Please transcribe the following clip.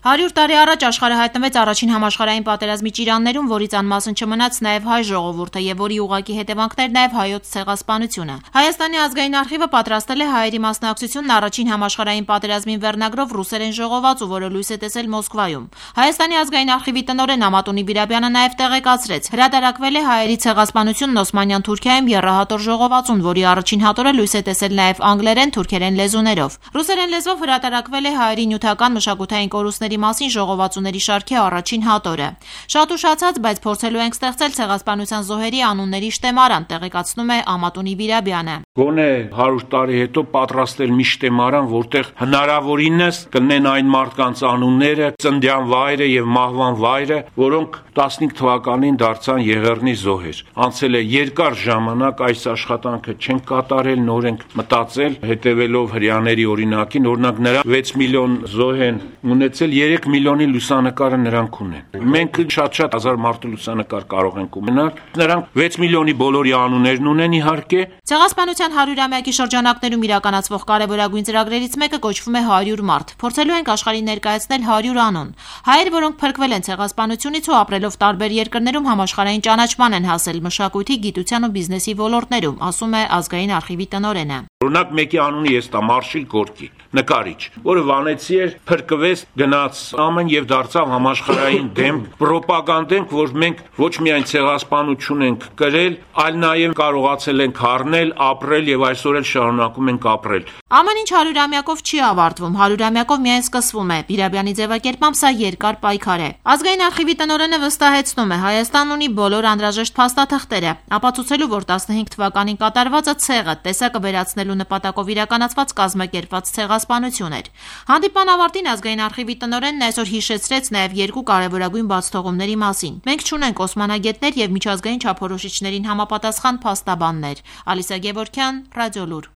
100 տարի առաջ աշխարհը հայտնվեց առաջին համաշխարհային պատերազմի ճիրաններում, որից անմասն չմնաց նաև հայ ժողովուրդը եւ որի ուղղակի հետևանքներն նաև հայոց ցեղասպանությունը։ Հայաստանի ազգային արխիվը պատրաստել է հայերի մասնակցությունն առաջին համաշխարհային պատերազմին վերնագրով ռուսերեն ժողոված, որը լույս է տեսել Մոսկվայում։ Հայաստանի ազգային արխիվի տնօրեն Ամատունի Բիրաբյանը նաև տեղեկացրեց, հրատարակվել է հայերի ցեղասպանությունն Օսմանյան Թուրքիայում եռահատոր ժողովածուն, որի առաջին հատորը լույս է տեսել նաև անգլերեն, թուրքերեն լեզուներով։ Ռուսերեն լեզվով հրատարակվել է հայերի նյութական մշակութային կորուստների մասին ժողովածուների շարքի առաջին հատորը։ Շատ ուշացած, բայց փորձելու ենք ստեղծել ցեղասպանության զոհերի անունների շտեմարան, տեղեկացնում է Ամատունի Բիրաբյանը։ Գոնե 100 տարի հետո պատրաստել մի շտեմարան, որտեղ հնարավորինս կլինեն այն մարդկանց անունները, ծննդյան վայրը եւ մահվան վայրը, որոնք 15 թվականին դարձան Եղեռնի զոհեր։ Անցել է երկար ժամանակ, այս աշխատանքը չեն կատարել, նոր ենք մտածել, հետևելով հрьяաների օրինակին, օրինակ նրա 6 միլիոն զոհ են ունեցել, 3 միլիոնի լուսանկարը նրանք ունեն։ Մենք շատ հազար մարդու լուսանկար կարող ենք ունենալ, նրանք 6 միլիոնի բոլորի անուններն ունեն իհարկե։ Ցեղասպանության 100-ամյակի շրջանակներում իրականացվող կարևորագույն ծրագրերից մեկը կոչվում է 100 մարդ։ Փորձելու ենք աշխարհին ներկայացնել 100 անուն։ Հայեր, որոնք փրկվել են ցեղասպանությունից ու ապրելով տարբեր երկրներում համաշխարհային ճանաչման են հասել մշակույթի, գիտության ու բիզնեսի ոլորտներում, ասում է ազգային արխիվի տնօրենը։ Օրինակ մեկի անունը ես տա Մարշիլ Գորկի, նկարիչ, որը վանեցի էր, փրկվեց, գնաց ԱՄՆ եւ դարձավ համաշխարհային դեմ ռոպագանդենք, որ մենք ոչ միայն ցեղասպանություն ենք կրել, այլ նաեւ կարողացել ենք առնել, ապրել եւ այսօր էլ շարունակում ենք ապրել։ Ամեն ինչ 100-ամյակով չի ավարտվում, 100-ամյակով միայն սկսվում է։ Բիրաբյանի ձևակերպամբ սա երկար պայքար է։ Ազգային արխիվի տնօրենը վստահեցնում է, Հայաստանն ունի բոլոր անհրաժեշտ փաստաթղթերը, ապացուցելու, որ 15 թվականին կատարվածը ցեղը տեսակը վերացնելու նպատակով իրականացված կազմակերպված ցեղասպանություն էր։ Հանդիպման ավարտին ազգային արխիվի տնօրենն այսօր հիշեցրեց նաև երկու կարևորագույն բացթողումների մասին։ Մենք չունենք օսմանագետներ եւ միջազգային չափորոշիչներին համապատասխան փաստաբաններ։ Ալիսա Գևորգյան, Ռադիոլուր։